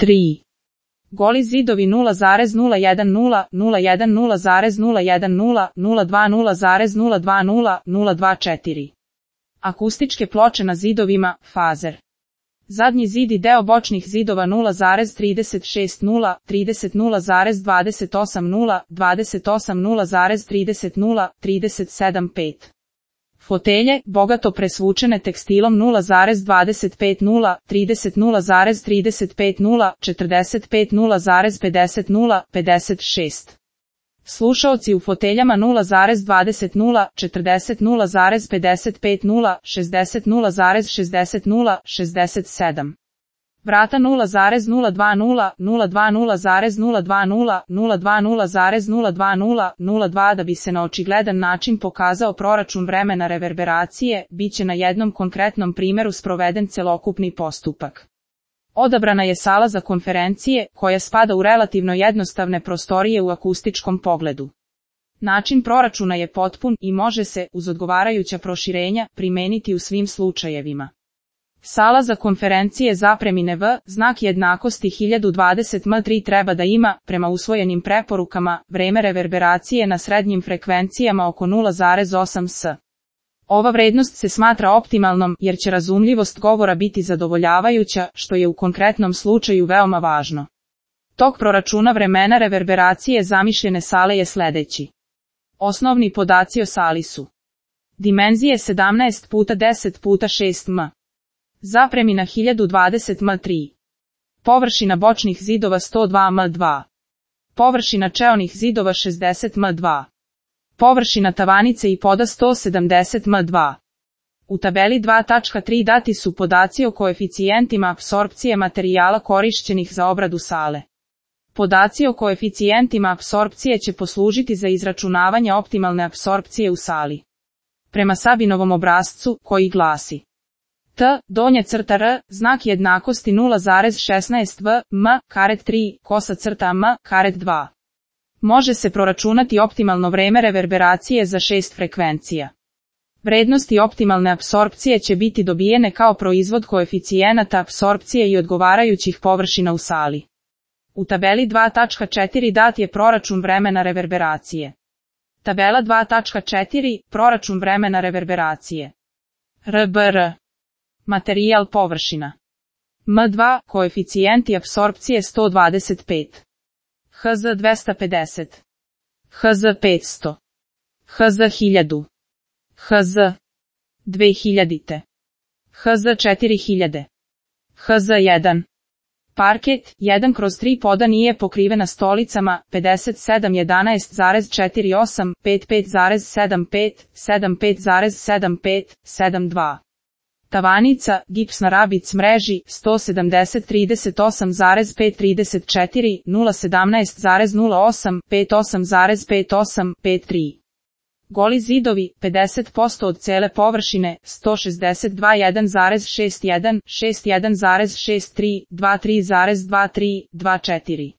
3. Goli zidovi 0,010, 010,010, 020,020, 024. Akustičke ploče na zidovima, fazer. Zadnji zid i deo bočnih zidova 0,36 0, 30 0,28 0, 28 0,30 0, 37 5. Fotelje, bogato presvučene tekstilom 0,25 0, 30 0,35 0, 45 0,50 0, 56. Slušaoci u foteljama 0,20 0, 40 0,55 0, 60 0,60 0, 67. Vrata 0,020, 020,020, 020,020, 02 da bi se na očigledan način pokazao proračun vremena reverberacije, bit će na jednom konkretnom primjeru sproveden celokupni postupak. Odabrana je sala za konferencije, koja spada u relativno jednostavne prostorije u akustičkom pogledu. Način proračuna je potpun i može se, uz odgovarajuća proširenja, primeniti u svim slučajevima. Sala za konferencije zapremine V, znak jednakosti 1020 m3 treba da ima, prema usvojenim preporukama, vreme reverberacije na srednjim frekvencijama oko 0,8 s. Ova vrednost se smatra optimalnom jer će razumljivost govora biti zadovoljavajuća, što je u konkretnom slučaju veoma važno. Tok proračuna vremena reverberacije zamišljene sale je sledeći. Osnovni podaci o sali su: dimenzije 17 x 10 x 6 m. Zapremina 1020 m3. Površina bočnih zidova 102 m2. Površina čeonih zidova 60 m2. Površina tavanice i poda 170 m2. U tabeli 2.3 dati su podaci o koeficijentima apsorpcije materijala korišćenih za obradu sale. Podaci o koeficijentima apsorpcije će poslužiti za izračunavanje optimalne apsorpcije u sali. Prema Sabinovom obrascu, koji glasi: T, donja crta R, znak jednakosti 0,16 v, m, karet 3, kosa crta m, karet 2. Može se proračunati optimalno vreme reverberacije za 6 frekvencija. Vrednosti optimalne apsorpcije će biti dobijene kao proizvod koeficijenata apsorpcije i odgovarajućih površina u sali. U tabeli 2.4 dat je proračun vremena reverberacije. Tabela 2.4, proračun vremena reverberacije. RBR. Materijal površina. M2, koeficijenti apsorpcije 125. HZ 250. HZ 500. HZ 1000. HZ 2000. HZ 4000. HZ 1. Parket 1/3 poda nije pokrivena stolicama 57 11,48 55,75 75,75 72. Tavanica, gipsna rabic mreži, 170 38,5 34 017,08 58,58 53. Goli zidovi, 50% od cele površine, 162 1,61 61,63 23,23 24.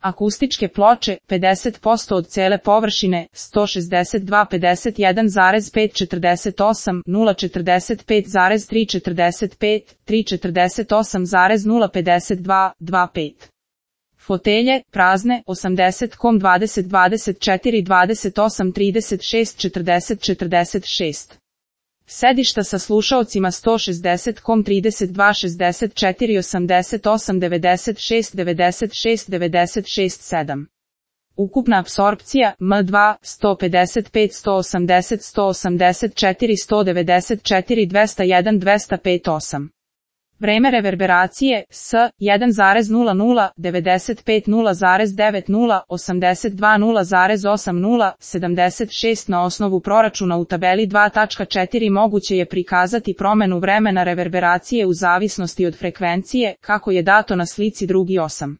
Akustičke ploče, 50% od cele površine, 162 51,5 48 045,3 45 3 48,052 25. Fotelje, prazne, 80,20 24 28 36 40 46. Sedišta sa slušaocima 160,32 64 88 96 96 96 7. Ukupna apsorpcija, M2, 155 180 184 194 201 205 8. Vreme reverberacije, S, 1,00, 95 0,90, 82 0,80, 76 na osnovu proračuna u tabeli 2.4 moguće je prikazati promenu vremena reverberacije u zavisnosti od frekvencije, kako je dato na slici drugi 8.